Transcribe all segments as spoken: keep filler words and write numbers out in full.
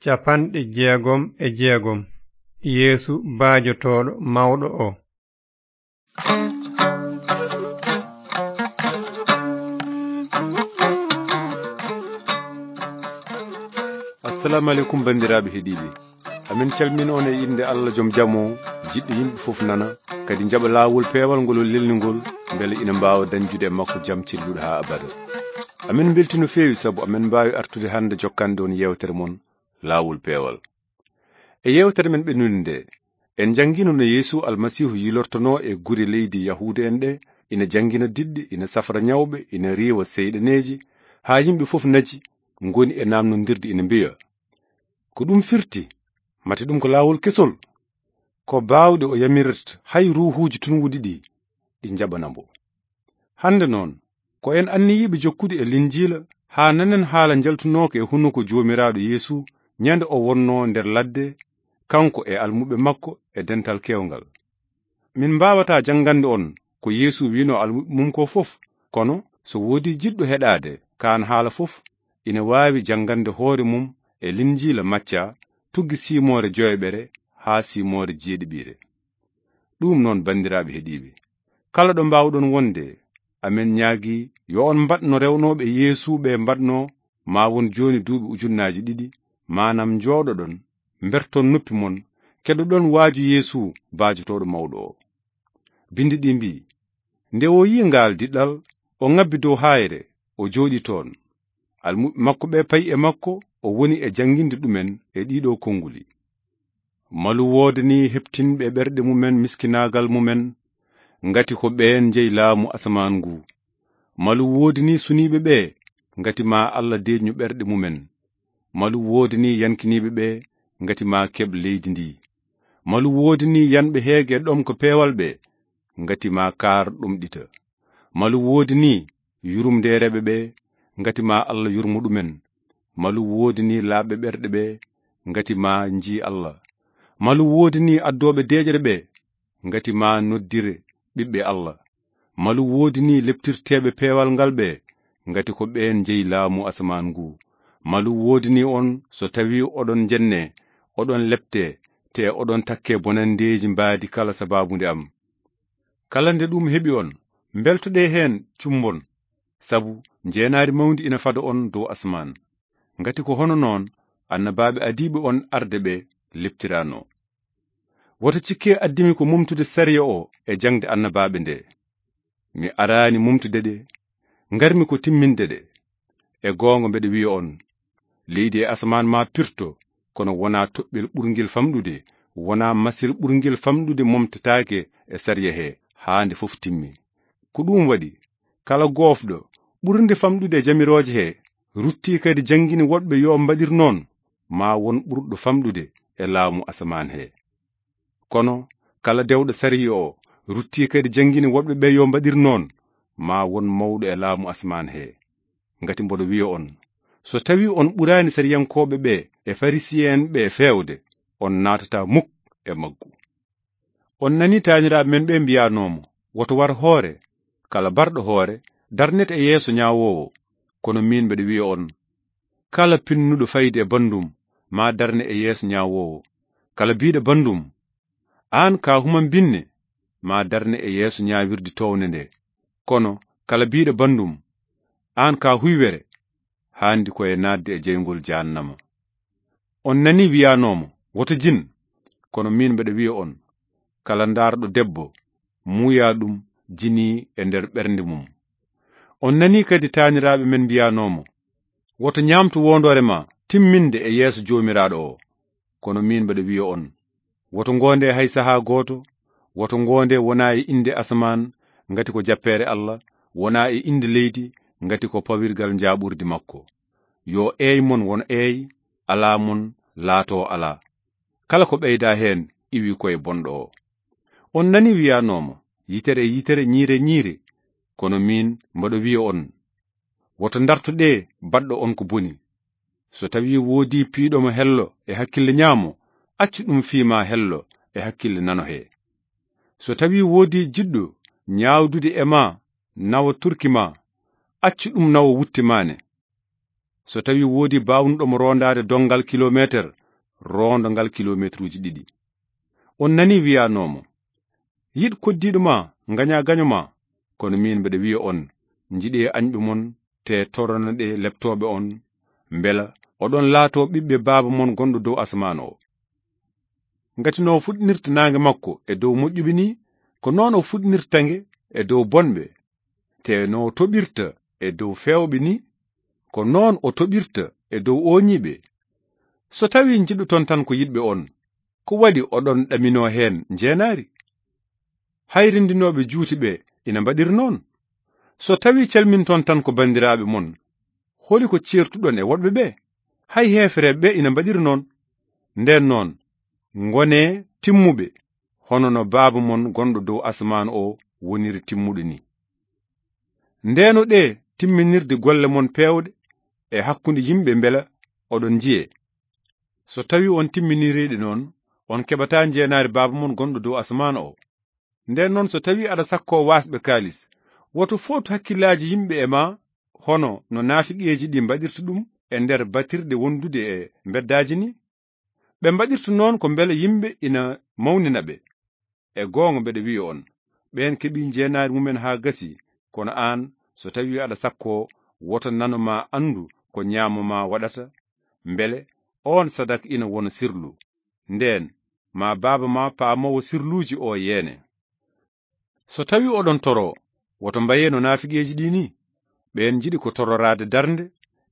Capanɗe jeegom e jeegom. Yeesu baajotooɗo mawɗo o. Assalamu aleykum, banndiraaɓe heɗiiɓe. Amin calmina on e innde Allah joom jam o, jiɗɗo yimɓe fof nana, kadi jaɓa laawol peewal ngol o lelni ngol, mbele ina mbaawa dañjude e makko jam celluɗo haa abada. Amin mbelti no feewi sabu amin mbaawi artude hannde jokkande on yeewtere mon, Laawol Peewal. E yeewtere men ɓennunde nde, en njanngiino no Yeesu Almasiihu yilortonoo e gure leydi Yahuuda en ɗe, ina janngina diɗɗe, ina safra ñawɓe, ina riiwa seyɗaneeji, haa yimɓe fof naji, ngoni e naamnondirde ina mbiya, "Ko ɗum firti? Mate ɗum ko laawol kesol?" Ko baawɗe o yamirirta hay ruuhuuji tunwuɗi ɗi, ɗi njaɓana mbo. Hannde noon, ko en anniyiiɓe jokkude e Linjiila, haa nanen haala njaltunooka e hunuko Joomiraaɗo Yeesu, ñande o wonnoo nder ladde, kanko e almuɓɓe makko e dental keewngal. Min mbaawataa janngande on ko Yeesu wi'noo almuɓɓe mum ko fof, kono so woodii jiɗɗo heɗaade kaan haala fof, ina waawi janngande hoore mum e Linjiila Macca, tuggi siimoore joyɓere haa siimoore jeeɗiɓiire. Ɗum noon, banndiraaɓe heɗiiɓe, kala ɗo mbaawɗon wonde, amen ñaagii yo on mbaɗ no rewnooɓe Yeesu ɓe mbaɗnoo, maa won jooni duuɓi ujunnaaji ɗiɗi, maanaam njooɗoɗon, mberton noppi mon, keɗoɗon waaju Yeesu baajotooɗo mawɗo o. Binndi ɗi mbii, "Nde o yi'i ngaal diɗɗal, o ŋabbi dow haayre, o jooɗi toon. Almuɓɓe makko ɓe payi e makko, o woni e jannginde ɗumen e ɗiɗo konnguli." Malu woodanii heɓtinɓe ɓerɗe mumen miskinaagal mumen, ngati ko ɓeen njeyi laamu asamaan ngu. Malu woodanii suniiɓe ɓe, ngati ma Allah deeƴnu ɓerɗe mumen. Malu woodanii yankiniiɓe ɓe, ngati ma keɓ leydi ndi. Malu woodanii yanɓe heege ɗom ko peewal ɓe, ngati ma kaar ɗomɗita. Malu woodanii yurumdeereeɓe ɓe, ngati ma Allah yurmo ɗumen. Malu woodanii laaɓɓe ɓerɗe ɓe, ngati ma njii Allah. Malu woodanii addooɓe deeƴre ɓe, ngati ma noddire ɓiɓɓe Allah. Malu woodanii leptirteeɓe peewal ngal ɓe, ngati ko ɓeen njeyi laamu asamaan ngu. Malu woodanii on so tawii oɗon njenne, oɗon lepte, te oɗon takke bonanndeeji mbaadi kala sabaabu nde am. Kala nde ɗum heɓi on, mbeltoɗee heen cumbon, sabu njeenaari mawndi ina fada on dow asamaan. Ngati ko hono noon annabaaɓe adiiɓe on arde ɓe leptiranoo. Woto cikke addimi ko mumtude sariya o e jaŋde annabaaɓe nde. Mi araani mumtude ɗe, ngarmi ko timminde ɗe. E goonga mbeɗa wiya on, leydi e asamaan ma pirto, kono wonaa toɓɓel ɓurngel famɗude, wonaa masil ɓurngel famɗude momtataake e sariya he, haa nde fof timmi. Ko ɗum waɗi, kala goofɗo ɓurnde famɗude e jamirooje he, ruttii kadi janngini woɗɓe yo mbaɗir noon, ma won ɓurɗo famɗude e laamu asamaan he. Kono kala dewɗo sariya o, ruttii kadi janngini woɗɓe ɓe yo mbaɗir noon, ma won mawɗo e laamu asamaan he. Ngati mboɗo wiya on, so tawii on ɓuraani sariyankooɓe ɓe e Farisiye'en ɓe feewde, on naatataa muk e maggu. On nanii taaniraaɓe men ɓe mbiyanoo mo, woto war hoore, kala barɗo hoore darnete e yeeso ñaawoowo. Kono miin mbeɗa wiya on, kala pinnuɗo fayde e banndum, ma darne e yeeso ñaawoowo. Kala biiɗo banndum, aan ka humam binne, ma darne e yeeso ñaawirde toownde nde. Kono kala biiɗo banndum, aan ka huywere, haandi ko e naatde e jeyngol jahannama. On nanii wiyanoo mo, woto jin, kono miin mbeɗa wiya on, kala ndaarɗo debbo, muuya ɗum jinii e nder ɓernde mum. On nanii kadi taaniraaɓe men mbiyanoo mo, woto ñaamtu woondoore ma timminde e yeeso Joomiraaɗo o. Kono miin mbeɗa wiya on, woto ngoonde hay sahaa gooto, woto ngoonde wonaa e innde asamaan, ngati ko jappeere Allah, wonaa e innde leydi, ngati ko pawirgal njaaɓurdi makko. Yo eey mon won eey, alaa mon laatoo alaa. Kala ko ɓeydaa heen iwi koye bonɗo o. On nanii wiyanoo mo, yitere e yitere, ñiire e ñiire. Kono miin mboɗo wiya on, woto ndartoɗee baɗɗo on ko boni. So tawii woodii piiɗo mo hello e hakkille ñaamo, accu ɗum fii ma hello e hakkille nano he. So tawii woodii jiɗɗo ñaawdude e ma nawa turki ma, accu ɗum nawa wutte ma ne. So tawi woodi baawnuɗo mo roondaade donngal kilomeeter, roondo ngal kilomeetruuji ɗiɗi. On nani wiyanoomo, "Yiɗ koddiiɗo ma, ngaña gaño ma." Kono miin mbeɗa wiya on, njiɗee añɓe mon, te toronoɗee leptooɓe on, mbela oɗon laatoo ɓiɓɓe Baaba mon gonɗo dow asamaan o. Ngati no o fuɗnirta naange makko e dow moƴƴuɓe ni, ko noon o fuɗnirta nge e dow bonɓe. Te no o toɓirta e dow feewɓe ni, ko noon o toɓirta e dow ooñiiɓe. So tawi njiɗoton tan ko yiɗɓe on, ko waɗi oɗon ɗaminoo heen njeenaari? Hay renndinooɓe juuti ɓe ina mbaɗiri noon. So tawi calminton tan ko banndiraaɓe mon, holi ko ceertuɗon e woɗɓe ɓe? Hay heefereeɓe ɓe ina mbaɗiri noon. Ndeen noon, ngonee timmuɓe, hono no Baaba mon gonɗo dow asamaan o woniri timmuɗo ni. Ndeenoɗee timminirde golle mon peewɗe e hakkunde yimɓe mbela oɗon njiyee. So tawi on timminiriiɗe noon, on keɓataa njeenaari Baaba mon gonɗo dow asamaan o. Ndeen noon, so tawi aɗa sakkoo waasɓe kaalis, woto footu hakkillaaji yimɓe e ma, hono no naafiqeeji ɗi mbaɗirta ɗum e nder batirɗe wondude e mbeddaaji ni. Ɓe mbaɗirta noon ko mbele yimɓe ina mawnina ɓe. E goonga mbeɗa wiya on, ɓeen keɓii njeenaari mumen haa gasi, kono aan, so tawi aɗa sakkoo, woto nano ma anndu ko ñaamo ma waɗata, mbele oon sadak ina wona sirlu. Ndeen, ma Baaba ma paamoowo sirluuji o yeene. So tawi oɗon toro, woto mbayee no naafiqeeji ɗi ni. Ɓeen njiɗi ko tororaade darnde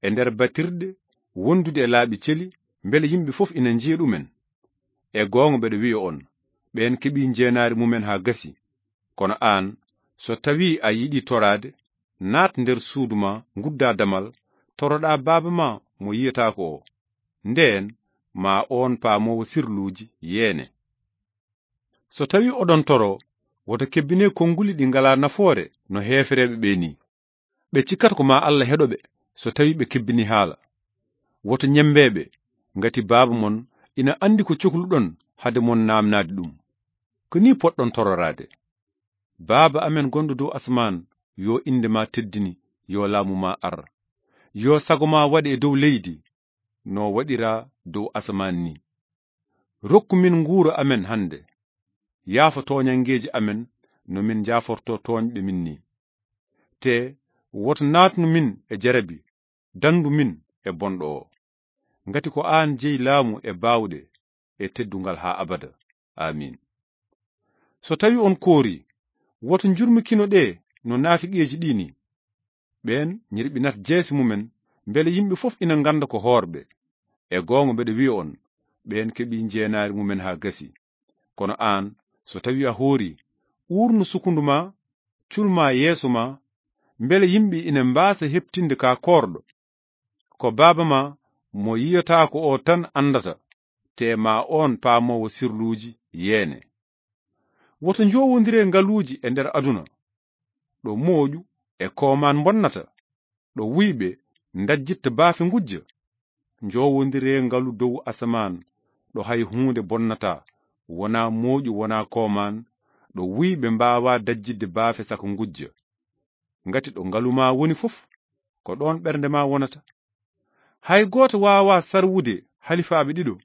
e nder batirɗe, wondude e laaɓi celi, mbele yimɓe fof ina njiya ɗumen. E goonga mbeɗa wiya on, ɓeen keɓii njeenaari mumen haa gasi. Kono aan, so tawi a yiɗi toraade, naat nder suudu ma, ngudda damal, toroɗa Baaba ma mo yiyataako o. Ndeen, ma oon paamoowo sirluuji yeene. So tawi oɗon toro, woto kebbinee konnguli ɗi ngalaa nafoore no heefereeɓe ɓe ni. Ɓe cikkata ko ma Allah heɗo ɓe, so tawi ɓe kebbini haala. Woto ñemmbee ɓe, ngati Baaba mon ina anndi ko cokluɗon hade mon naamnaade ɗum. Ko ni poɗɗon tororaade: Baaba amen gonɗo dow asamaan, yo innde ma teddini, yo laamu ma ar. Yo sago ma waɗe e dow leydi, no waɗira dow asamaan ni. Rokku min nguura amen hannde. Yaafa tooñanngeeji amen, no min njaaforto tooñɓe min ni. Te woto naatnu min e jarabi, danndu min e bonɗo o. Ngati ko aan jeyi laamu e baawɗe e teddungal haa abada. Aamiin. So tawi on koori, woto njurmikino ɗe no naafiqeeji ɗi ni. Ɓeen ñirɓinat jeese mumen, mbele yimɓe fof ina ngannda ko hoorɓe. E goonga mbeɗa wiya on, ɓeen keɓii njeenaari mumen haa gasi. Kono aan, so tawi a hoori, uurnu sukundu ma, cul ma yeeso ma, mbele yimɓe ina mbaasa heɓtinde ka koorɗo. Ko Baaba ma mo yiyataako o tan anndata, te ma oon paamoowo sirluuji yeene. Woto njowondiree ngaluuji e nder aduna, ɗo mooƴu e koomaan mbonnata, ɗo wuyɓe ndajjitta baafe ngujja. Njowondiree ngalu dow asamaan, ɗo hay huunde bonnataa, wonaa mooƴu, wonaa koomaan, ɗo wuyɓe mbaawaa dajjitde baafe saka ngujja. Ngati ɗo ngalu ma woni fof, ko ɗoon ɓernde ma wonata. Hay gooto waawaa sarwude halifaaɓe ɗiɗo.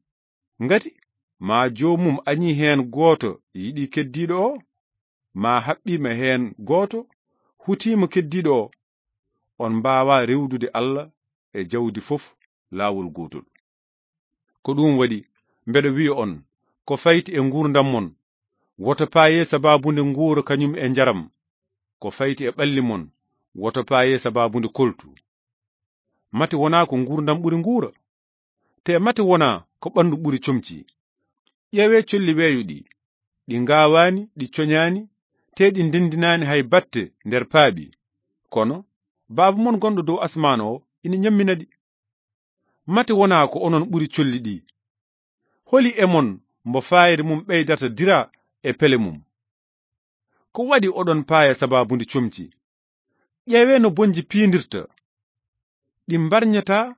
Ngati ma joomum añii heen gooto, yiɗi keddiiɗo o, ma haɓɓiima heen gooto, hutiima keddiiɗo o. On mbaawaa rewdude Allah e jawdi fof laawol gootol. Ko ɗum waɗi, mbeɗa wiya on, ko fayti e nguurndam mon, woto paayee sabaabunde nguura kañum e njaram. Ko fayti e ɓalli mon, woto paayee sabaabunde koltu. Mate wonaa ko nguurndam ɓuri nguura? Te mate wonaa ko ɓanndu ɓuri comci? Ƴeewee colli weeyo ɗi. Ɗi ngaawaani, ɗi coñaani, te ɗi ndendinaani hay batte nder paaɓi. Kono Baaba mon gonɗo dow asmaan o ina ñammina ɗi. Mate wonaa ko onon ɓuri colli ɗi? Holi e mon mbo faayre mum ɓeydata dira e pele mum? Ko waɗi oɗon paaya sabaabu ndi comci? Ƴeewee no bonji piindirta. Ɗi mbarñataa,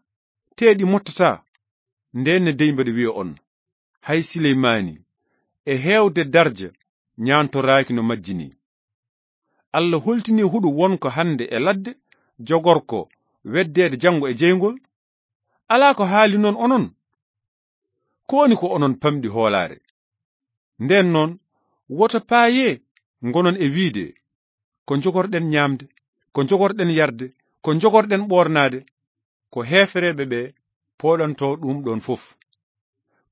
te ɗi mottataa. Ndeen ne dey mbeɗa wiya on, hay Sileymaani, e heewde darja, ñaantoraaki no majji ni. Allah holtini huɗo wonko hannde e ladde, jogorko weddeede janngo e jeyngol, Alaa ko haali non onon? Ko woni ko onon pamɗi hoolaare? Nden non, woto paayee ngonon e wiide, "Ko njogorɗen ñaamde, ko njogorɗen yarde, ko njogorɗen ɓoornaade." Ko heefereeɓe ɓe pooɗantoo ɗum ɗon fof.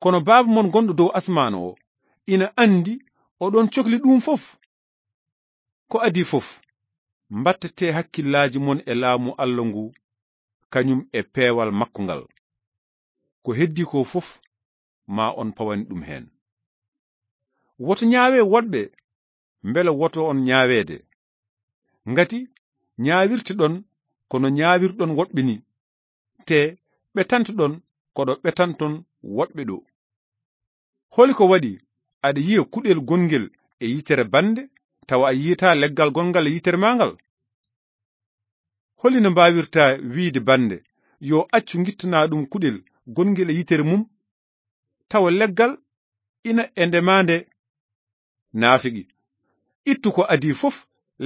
Kono Baaba mon gonɗo dow asmaan o ina anndi oɗon cokli ɗum fof. Ko adii fof, mbattete hakkillaaji mon e laamu Alla ngu, kañum e peewal makko ngal. Ko heddii ko fof, ma on pawani ɗum heen. Woto ñaawe woɗɓe, mbele woto on ñaaweede. Ngati ñaawirteɗon ko no ñaawirɗon woɗɓe ni, te ɓetanteɗon ko ɗo ɓetanton woɗɓe ɗo. Holi ko waɗi aɗa yiya kuɗel gongel e yitere bannde, tawa a yiyataa leggal gonngal e yitere maa ngal? Holi no mbaawirtaa wiide bannde, "Yo accu ngittanaa ɗum kuɗel gongel e yitere mum," tawa leggal ina e ndema nde? Naafigi, ittu ko adii fof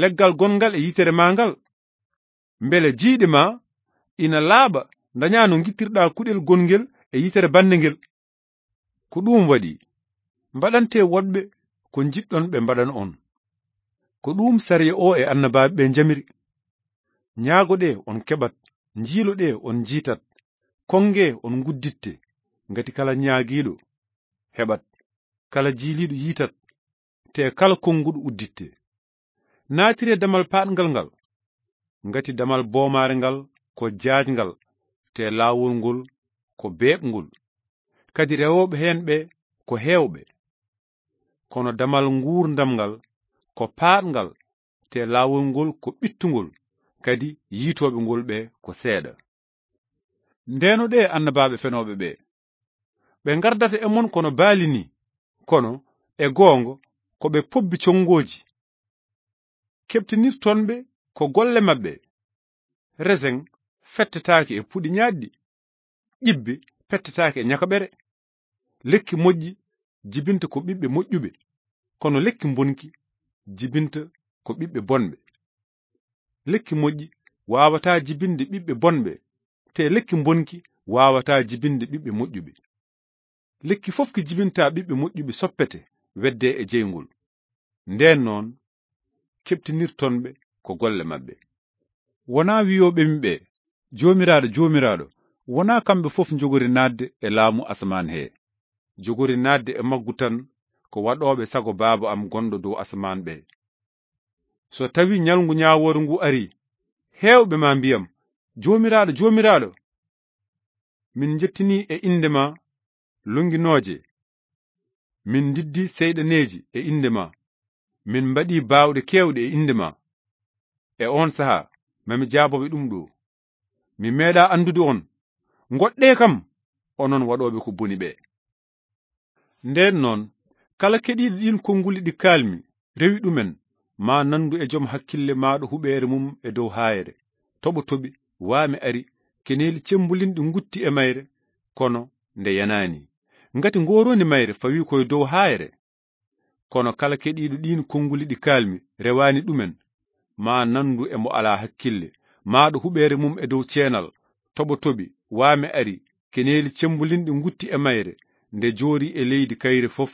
leggal gonngal e yitere maa ngal. Mbele jiiɗe ma ina laaɓa, ndañaa no ngittirɗaa kuɗel gongel e yitere bannde ngel. Ko ɗum waɗi, mbaɗante woɗɓe ko njiɗɗon ɓe mbaɗana on. Ko ɗum sariya o e annabaaɓe ɓe njamiri. Ñaagoɗee, on keɓat, njiiloɗee, on njiitat, kongee, on ngudditte, ngati kala ñaagiiɗo heɓat, kala jiiliiɗo yiitat, te kala konguɗo udditte. Naatiree damal paaɗngal ngal, ngati damal boomaare ngal ko jaajngal, te laawol ngol ko beeɓngol, kadi rewooɓe heen ɓe ko heewɓe. Kono damal nguurndam ngal ko paaɗngal, te laawol ngol ko ɓittungol, kadi yiitooɓe ngol ɓe ko seeɗa. Ndenoɗee annabaaɓe fenooɓe ɓe. Ɓe ngardata e mon kono baali ni, kono e goonga ko ɓe pobbi conngooji. Keɓtinirton ɓe ko golle maɓɓe. Resen fettetaake e puɗi ñaaɗɗi, ƴibbe pettetaake e ñakaɓere. Lekki moƴƴi jibinta ko ɓiɓɓe moƴƴuɓe, kono lekki mbonki jibinta ko ɓiɓɓe bonɓe. Lekki moƴƴi waawataa jibinde ɓiɓɓe bonɓe, te lekki mbonki waawataa jibinde ɓiɓɓe moƴƴuɓe. Lekki fof ki jibinta ɓiɓɓe moƴƴuɓe soppete, wedde e jeyngol. Nden non, keɓtinirton ɓe ko golle maɓɓe. Wonaa wiyooɓe mi ɓe, "Joomiraaɗo, Joomiraaɗo," wonaa kamɓe fof njogori naatde e laamu asamaan he. Jogori naatde e maggu tan ko waɗooɓe sago Baaba am gonɗo dow asamaan ɓe. So tawi ñalngu ñaawoore ngu ari, heewɓe ma mbiyam, "Joomiraaɗo, Joomiraaɗo, min njettini e innde ma lonnginooje, min ndiddi seyɗaneeji e innde ma, min mbaɗi baawɗe keewɗe e innde ma." E oon sahaa, mami jaabooɓe ɗum ɗo, "Mi meeɗaa anndude on. Ngoɗɗee kam, onon waɗooɓe ko boni ɓe." Nden non, kala keɗiiɗo ɗiin konnguli ɗi kaalmi, rewi ɗumen, ma nanndu e jom hakkille maaɗo huɓeere mum e dow haayre, toɓo toɓi, waame ari, keneeli cemmbulinɗi ngutti e mayre, kono nde yanaani. Ngati ngooroondi mayre fawi koye dow haayre. Kono kala keɗiiɗo ɗiin konnguli ɗi kaalmi, rewaani ɗumen, ma nanndu e mo alaa hakkille, maaɗo huɓeere mum e dow ceenal, toɓo toɓi, waame ari, keneeli cemmbulinɗi ngutti e mayre, nde joori e leydi kayre fof,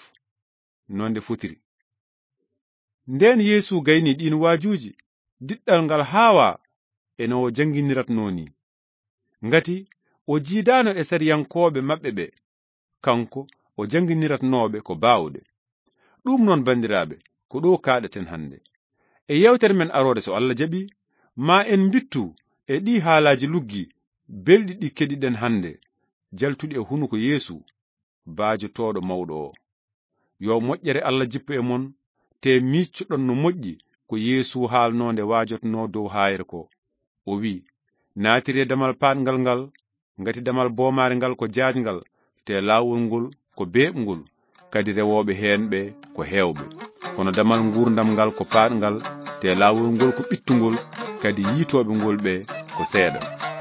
no nde fotiri. Nden Yeesu gayni ɗiin waajuuji, diɗɗal ngal haawaa e no o jannginiratnoo ni. Ngati o jiidaano e sariyankooɓe maɓɓe ɓe, kanko o jannginiratnooɓe ko baawɗe. Ɗum noon, banndiraaɓe, ko ɗo kaaɗaten hannde. E yeewtere men aroore, so Allah jaɓi, ma en mbittu e ɗii haalaaji luggi belɗi ɗi keɗiɗen hannde, jaltuɗi e hunuko Yeesu, baajotooɗo mawɗo o. Yo moƴƴere Allah jippo e mon, te miiccoɗon no moƴƴi ko Yeesu haalnoo nde waajotnoo dow haayre ko. O wi'i, "Naatiree damal paaɗngal ngal, ngati damal boomaare ngal ko jaajngal, te laawol ngol ko beeɓngol, kadi rewooɓe heen ɓe ko heewɓe. Kono damal nguurndam ngal ko paaɗngal, te laawol ngol ko ɓittungol, kadi yiitooɓe ngol ɓe ko seeɗa."